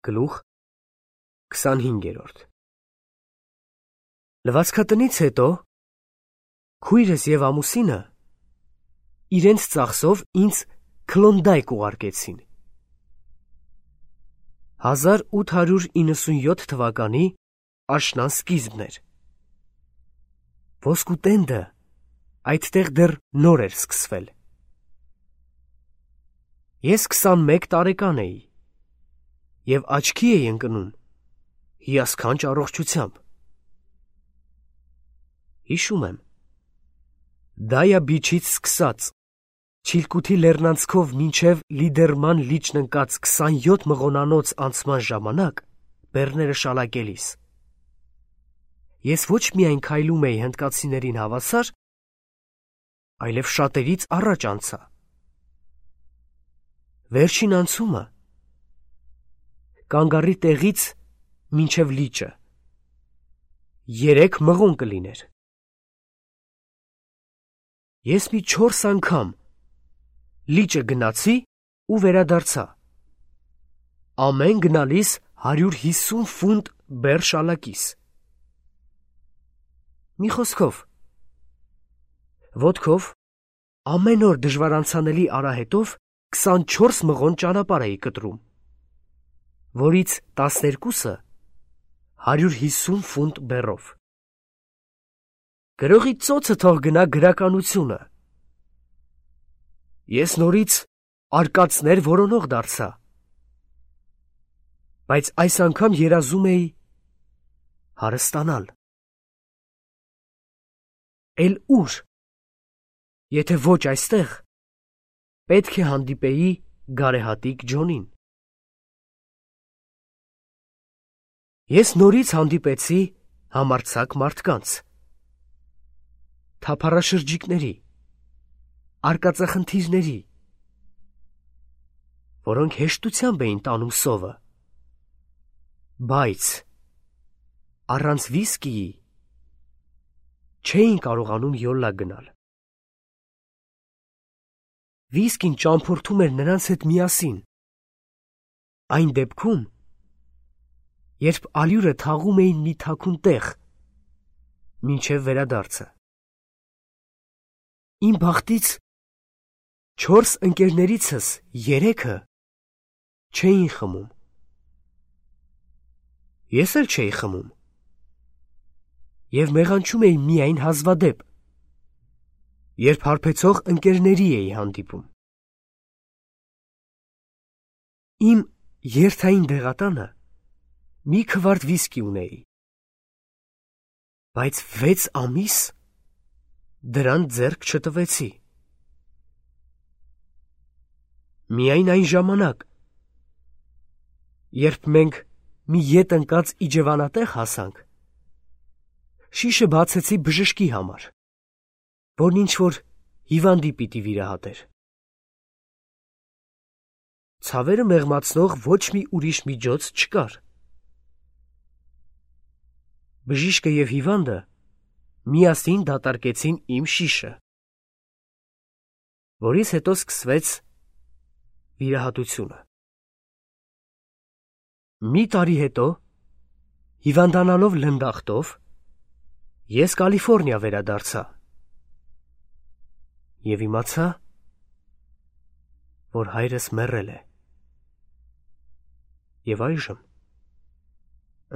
Գլուխ 25։ Լվացքատնից հետո քույրս եւ ամուսինը իրենց ծախսով ինձ Քլոնդայք ուղարկեցին։ 1897 թվականի աշնան սկիզբն էր։ Ոսկու տենդը այդտեղ դեռ նոր էր սկսվել։ Ես 21 տարեկան էի և աչքի էի ընկնում հիասքանչ առողջությամբ։ Հիշում եմ, Դայա բիչից սկսած Չիլկութի լեռնանցքով մինչև Լիդերման լիճն ընկած 27 մղոնանոց անցման ժամանակ բեռները շալակելիս ես ոչ միայն քայլում էի հնդկացիներին հավասար, այլև շատերից առաջ անցա։ Վերջին անցումը կանգառի տեղից մինչև լիճը 3 մղոն կլիներ։ Ես մի 4 անգամ լիճը գնացի ու վերադարձա։ Ամեն գնալիս 150 ֆունտ բեռ շալակիս։ Մի խոսքով, ոտքով ամեն օր դժվար անցանելի արահետով 24 մղոն ճանապարհ էի կտրում, որից 12-ը 150 ֆունտ բեռով։ Գրողի ծոցը թող գնա գրականությունը։ Ես նորից արկածներ որոնող դարձա, բայց այս անգամ երազում էի հարստանալ։ Էլ ուր, եթե ոչ այստեղ, պետք է հանդիպեի գարեհատիկ Ջոնին։ Ես նորից հանդիպեցի համարձակ մարդկանց, թափառաշրջիկների, արկածախնդիրների, որոնք հեշտությամբ էին տանում սովը, բայց առանց վիսկիի չէին կարողանում յոլլա գնալ։ Վիսկին ճամփորդում էր նրանց հետ միասին, այն դեպքում, երբ ալյուրը թաղում էին մի թաքուն տեղ, մինչև վերադարձը։ Իմ բախտից 4 ընկերներիցս 3-ը չէին խմում։ Ես էլ չէի խմում և մեղանչում էի միայն հազվադեպ, երբ հարբեցող ընկերների էի հանդիպում։ Իմ երթային դեղատանը մի քվարտ վիսկի ունեի, բայց 6 ամիս դրան ձեռք չտվեցի։ Միայն այն ժամանակ, երբ մենք մի ետ ընկած իջևանատեղ հասանք, շիշը բացեցի բժշկի համար, որն ինչ-որ հիվանդի պիտի վիրահատեր։ Ցավերը մեղմացնող ոչ մի ուրիշ միջոց չկար։ Բժիշկը և հիվանդը միասին դատարկեցին իմ շիշը, որից հետո սկսվեց վիրահատությունը։ Մի տարի հետո, հիվանդանալով լնդախտով, ես Կալիֆորնիա վերադարձա և իմացա, որ հայրս մեռել է։ Եվ այժմ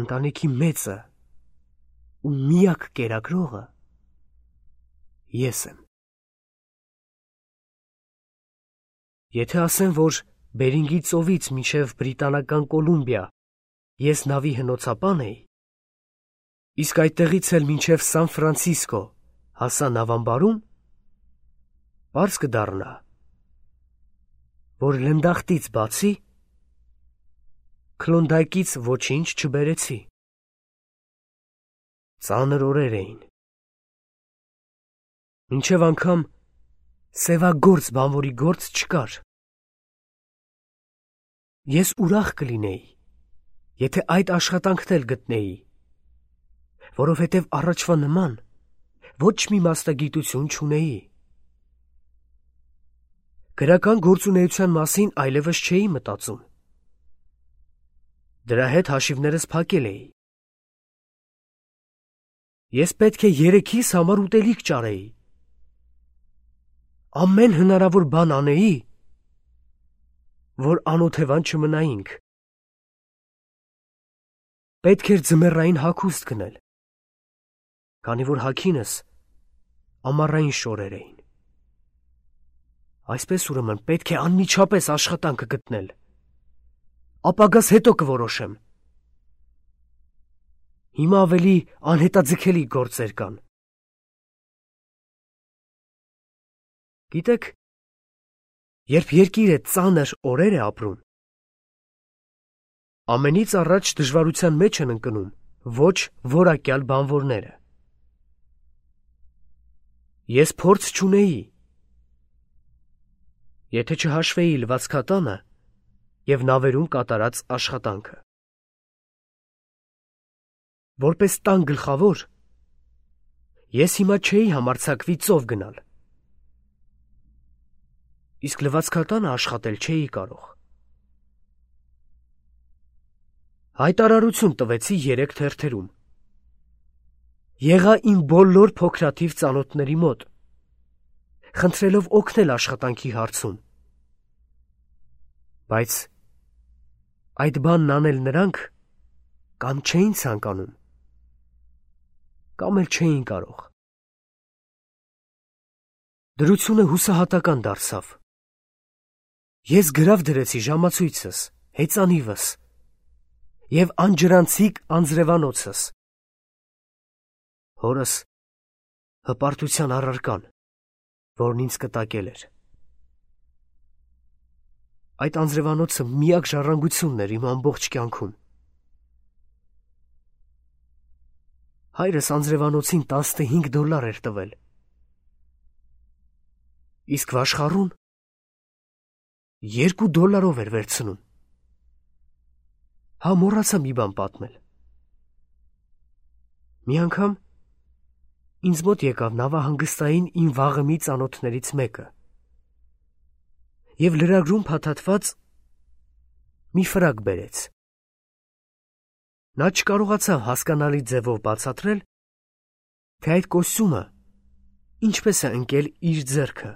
ընտանիքի մեծը ու միակ կերակրողը ես եմ։ Եթե ասեմ, որ Բերինգի ծովից մինչև Բրիտանական Կոլումբիա ես նավի հնոցապան էի, իսկ այդտեղից էլ մինչև Սան Ֆրանցիսկո հասա նավամբարում, պարզ կդառնա, որ լնդախտից բացի Քլոնդայքից ոչինչ չբերեցի։ Ծանր օրեր էին։ Մինչև անգամ սևագործ բանվորի գործ չկար։ Ես ուրախ կլինեի, եթե այդ աշխատանքն էլ գտնեի, որովհետև առաջվա նման ոչ մի մասնագիտություն չունեի։ Գրական գործունեության մասին այլևս չէի մտածում։ Դրա հետ հաշիվներս փակել էի։ Ես պետք է երեքիս համար ուտելիք ճարեի։ Ամեն հնարավոր բան անեի, որ անօթևան չմնայինք։ Պետք էր ձմեռային հագուստ գնել, քանի որ հագինս ամառային շորեր էին։ Այսպես ուրեմն պետք է անմիջապես աշխատանքը գտնել։ Ապագաս հետո կորոշեմ։ Հիմա ավելի անհետաձգելի գործեր կան։ Գիտեք, երբ երկիրը ծանր օրեր է ապրում, ամենից առաջ դժվարության մեջ են ընկնում ոչ որակյալ բանվորները։ Ես փորձ չունեի։ Եթե չհաշվեի լվացքատանը և նավերում կատարած աշխատանքը։ Որպես տան գլխավոր, ես հիմա չէի համարձակվի ծով գնալ։ Իսկ լվացքատանը աշխատել չէի կարող։ Հայտարարություն տվեցի 3 թերթերում։ Եղա իմ բոլոր փոքրաթիվ ծանոթների մոտ, խնդրելով օգնել աշխատանքի հարցում։ Բայց այդ բանն անել նրանք կամ չէին ցանկանում, կամ էլ չէին կարող։ Դրությունը հուսահատական դարձավ։ Ես գրավ դրեցի ժամացույցս, հեծանիվս և անջրանցիկ անձրևանոցս, հորս հպարտության առարկան, որն ինձ կտակել էր։ Այդ անձրևանոցը միակ ժառանգությունն էր իմ ամբողջ կյանքում։ Հայրս անձրևանոցին $15 էր տվել։ Իսկ վաշխառուն $2 էր վերցնում։ Հա, մոռացա մի բան պատմել։ Մի անգամ ինձ մոտ եկավ նավահանգստային իմ վաղեմի ծանոթներից մեկը և լրագրում փաթաթված մի ֆրակ բերեց։ Նա չկարողացավ հասկանալի ձևով բացատրել, թե այդ կոստյումը ինչպես է ընկել իր ձեռքը։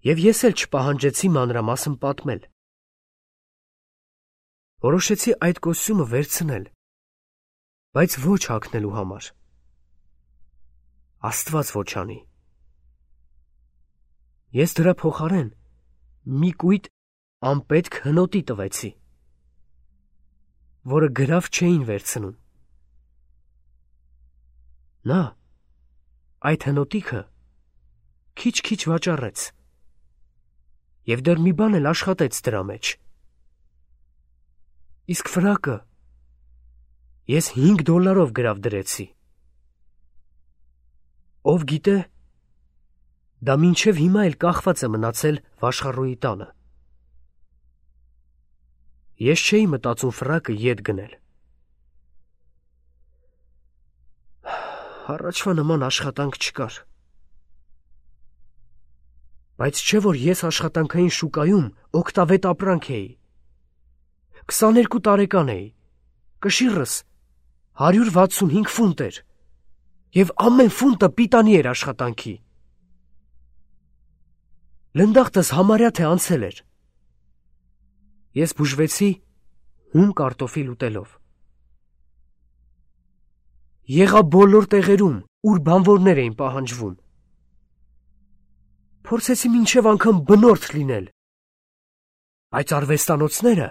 Եվ ես էլ չպահանջեցի մանրամասն պատմել։ Որոշեցի այդ կոստյումը վերցնել, բայց ոչ հագնելու համար։ Աստված ոչ անի։ Ես դրա փոխարեն մի կույտ անպետք հնոտի տվեցի, որը գրավ չէին վերցնում։ Նա այդ հնոտիքը քիչ-քիչ վաճառեց և դեռ մի բան էլ աշխատեց դրա մեջ։ Իսկ ֆրակը ես $5 գրավ դրեցի։ Ով գիտե, դա մինչև հիմա էլ կախված է մնացել վաշխառուի տանը։ Ես չէի մտածում ֆրակը ետ գնել։ Առաջվա նման աշխատանք չկար։ Բայց չէ որ ես աշխատանքային շուկայում օգտավետ ապրանք էի։ 22 տարեկան էի, կշիռս 165 ֆունտ էր, և ամեն ֆունտը պիտանի էր աշխատանքի։ Լնդախտս համարյա թե անցել էր։ Ես բուժվեցի հում կարտոֆիլ ուտելով։ Եղա բոլոր տեղերում, ուր բանվորներ էին պահանջվում։ Փորձեցի մինչև անգամ բնորդ լինել, բայց արվեստանոցները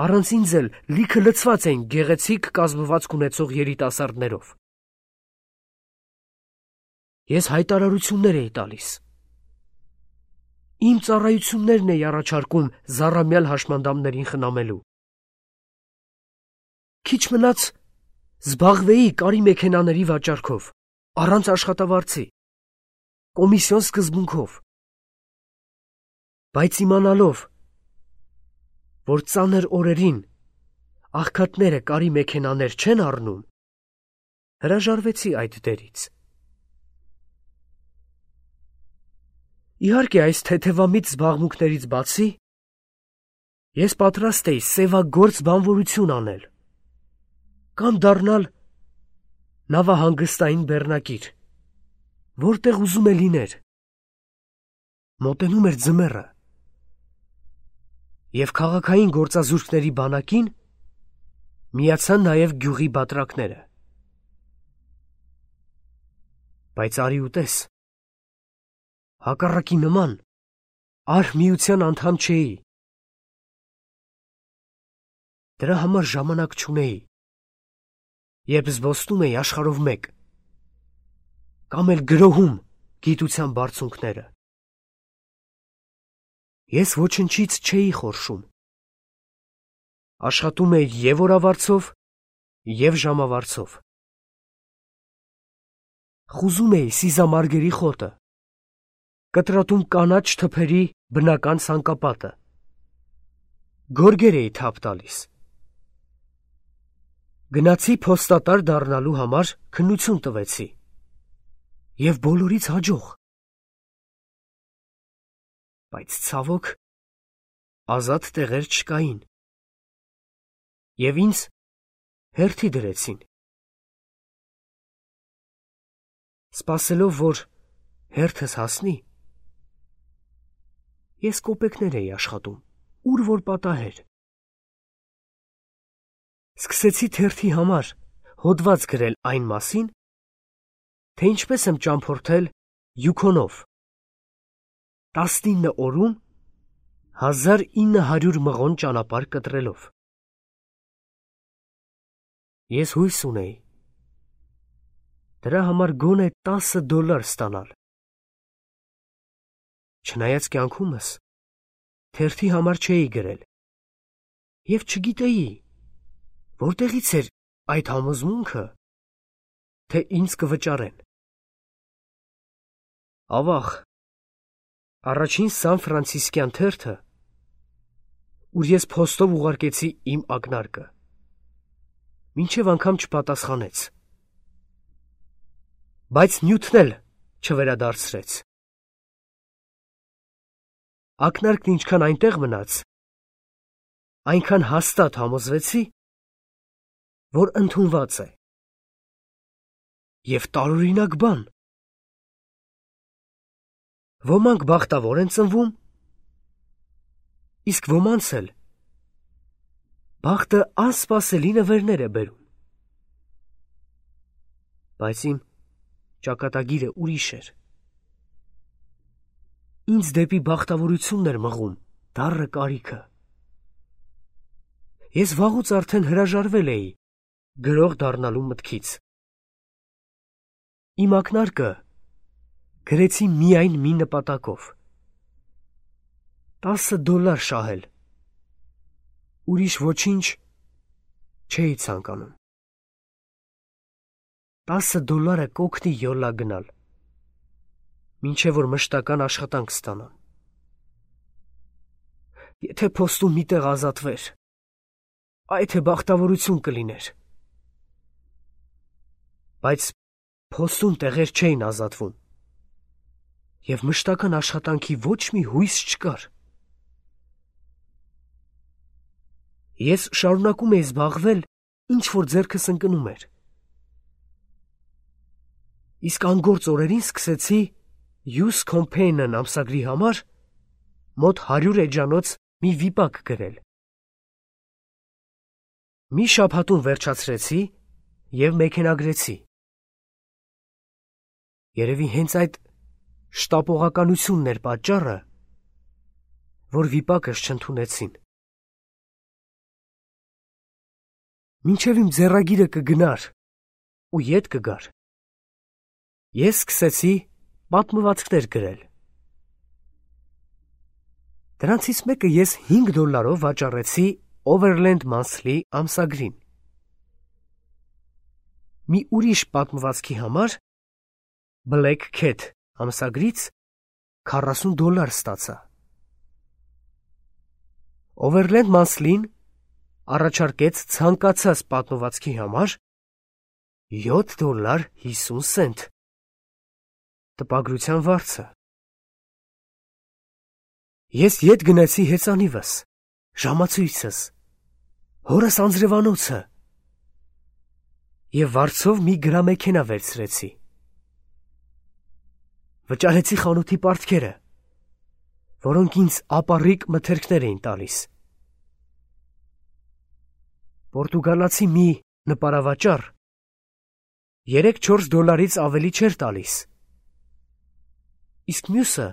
առանց ինձ էլ լիքը լցված էին գեղեցիկ կազմվածք ունեցող երիտասարդներով։ Ես հայտարարություններ էի տալիս։ Իմ ծառայություններն էի առաջարկում զառամյալ հաշմանդամներին խնամելու։ Քիչ մնաց զբաղվեի կարի մեքենաների վաճառքով, առանց աշխատավարձի, կոմիսիոն սկզբունքով։ Բայց իմանալով, որ ծանր օրերին աղքատները կարի մեքենաներ չեն առնում, հրաժարվեցի այդ դերից։ Իհարկե այս թեթևամիտ զբաղմունքներից բացի, Ես պատրաստ էի սևագործ բանվորություն անել, կամ դառնալ նավահանգստային բեռնակիր, որտեղ ուզում է լիներ։ Մոտենում էր ձմեռը, և քաղաքային գործազուրկների բանակին միացան նաև գյուղի բատրակները։ Բայց արի ու տես, հակառակի նման արհմիության անդամ չէի։ Դրա համար ժամանակ չունեի, երբ զբոսնում էի աշխարհով մեկ, կամ էլ գրոհում գիտության բարձունքները։ Ես ոչնչից չէի խորշում։ Աշխատում էի և օրավարձով, և ժամավարձով։ Խուզում էի սիզամարգերի խոտը, կտրատում կանաչ թփերի բնական ցանկապատը, գորգեր էի թափ տալիս։ Գնացի փոստատար դառնալու համար քննություն տվեցի, և բոլորից հաջող։ Բայց ցավոք, ազատ տեղեր չկային, և ինձ հերթի դրեցին։ Սպասելով, որ հերթս հասնի, ես կոպեկներ էի աշխատում, ուր որ պատահեր։ Սկսեցի թերթի համար հոդված գրել այն մասին, թե ինչպես եմ ճամփորդել Յուքոնով 19 օրում 1900 մղոն ճանապարհ կտրելով։ Ես հույս ունեի դրա համար գոնե $10 ստանալ։ Չնայած կյանքումս թերթի համար չէի գրել, և չգիտեի, որտեղից էր այդ համոզմունքը, թե ինձ կվճարեն։ Ավաղ, առաջին Սան Ֆրանցիսկյան թերթը, ուր ես փոստով ուղարկեցի իմ ակնարկը, մինչև անգամ չպատասխանեց, բայց նյութն էլ չվերադարձրեց։ Ակնարկն ինչքան այնտեղ մնաց, այնքան հաստատ համոզվեցի, որ ընդունված է։ Եվ տարօրինակ բան, ոմանք բախտավոր են ծնվում, իսկ ոմանց էլ բախտը անսպասելի նվերներ է բերում։ Բայց իմ ճակատագիրը ուրիշ էր։ Ինձ դեպի բախտավորությունն էր մղում դառը կարիքը։ Ես վաղուց արդեն հրաժարվել էի գրող դառնալու մտքից։ Իմ ակնարկը գրեցի միայն մի նպատակով՝ $10 շահել։ Ուրիշ ոչինչ չէի ցանկանում։ $10 կօգնի յոլա գնալ, մինչև որ մշտական աշխատանք ստանամ։ Եթե փոստում մի տեղ ազատվեր, այ թե բախտավորություն կլիներ։ Բայց փոստում տեղեր չէին ազատվում, և մշտական աշխատանքի ոչ մի հույս չկար։ Ես շարունակում էի զբաղվել, ինչ որ ձեռքս ընկնում էր։ Իսկ անգործ օրերին սկսեցի Youth Companion ամսագրի համար մոտ 100 էջանոց մի վիպակ գրել։ Մի շաբաթում վերջացրեցի և մեքենագրեցի։ Երևի հենց այդ շտապողականությունն էր պատճառը, որ վիպակս չընդունեցին։ Մինչև իմ ձեռագիրը կգնար ու ետ կգար, ես սկսեցի պատմվածքներ գրել։ Դրանցից մեկը ես $5 վաճառեցի Overland Monthly ամսագրին։ Մի ուրիշ պատմվածքի համար Black Cat ամսագրից $40 ստացա։ Overland Monthly-ն առաջարկեց ցանկացած պատմվածքի համար $7.50 տպագրության վարձը։ Ես ետ գնացի հեծանիվս, ժամացույցս, հորս անձրևանոցը և վարձով մի գրամեքենա վերցրեցի։ Վճարեցի խանութի պարտքերը, որոնք ինձ ապառիկ մթերքներ էին տալիս։ Պորտուգալացի մի նպարավաճառ $3-4 ավելի չէր տալիս, իսկ մյուսը,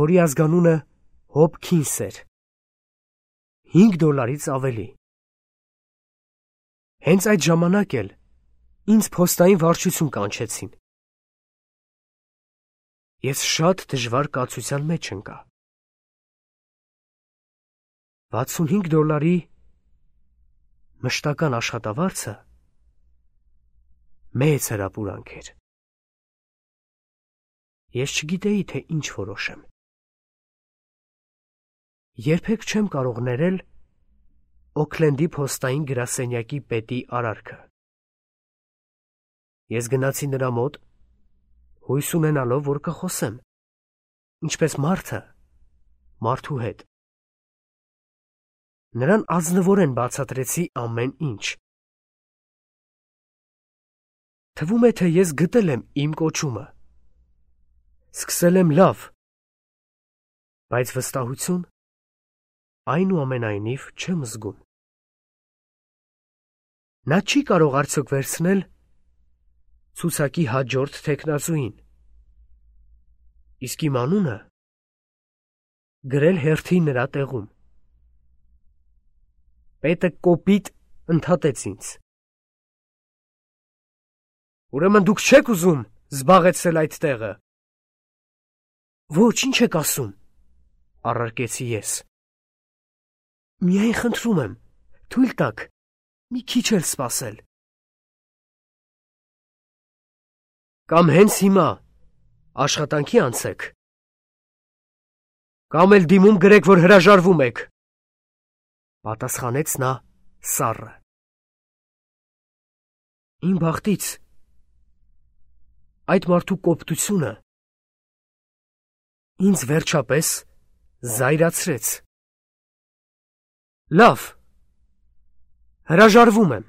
որի ազգանունը Հոփքինս էր, $5 ավելի։ Հենց այդ ժամանակ էլ ինձ փոստային վարչություն կանչեցին։ Ես շատ դժվար կացության մեջ ընկա։ $65 մշտական աշխատավարձը մեծ հրապուրանք էր։ Ես չգիտեի, թե ինչ որոշեմ։ Երբեք չեմ կարող ներել Օքլենդի փոստային գրասենյակի պետի արարքը։ Ես գնացի նրա մոտ, հույս ունենալով, որ կխոսեմ, ինչպես մարդը մարդու հետ։ Նրան ազնվորեն բացատրեցի ամեն ինչ։ Թվում է, թե ես գտել եմ իմ կոչումը։ Սկսել եմ լավ, բայց վստահություն այնուամենայնիվ չեմ զգում։ Նա չի կարող արդյոք վերցնել ցուցակի հաջորդ թեկնածուին, իսկ իմ անունը գրել հերթի նրա տեղում։ Պետը կոպիտ ընդհատեց ինձ։ Ուրեմն դուք չեք ուզում զբաղեցնել այդ տեղը։ Ոչ, ինչ եք ասում, առարկեցի ես։ Միայն խնդրում եմ, թույլ տաք, մի քիչ էլ սպասել։ Կամ հենց հիմա աշխատանքի անցեք, կամ էլ դիմում գրեք, որ հրաժարվում եք, պատասխանեց նա սառը։ Իմ բախտից այդ մարդու կոպտությունը ինձ վերջապես զայրացրեց։ Լավ, հրաժարվում եմ,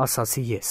ասացի ես։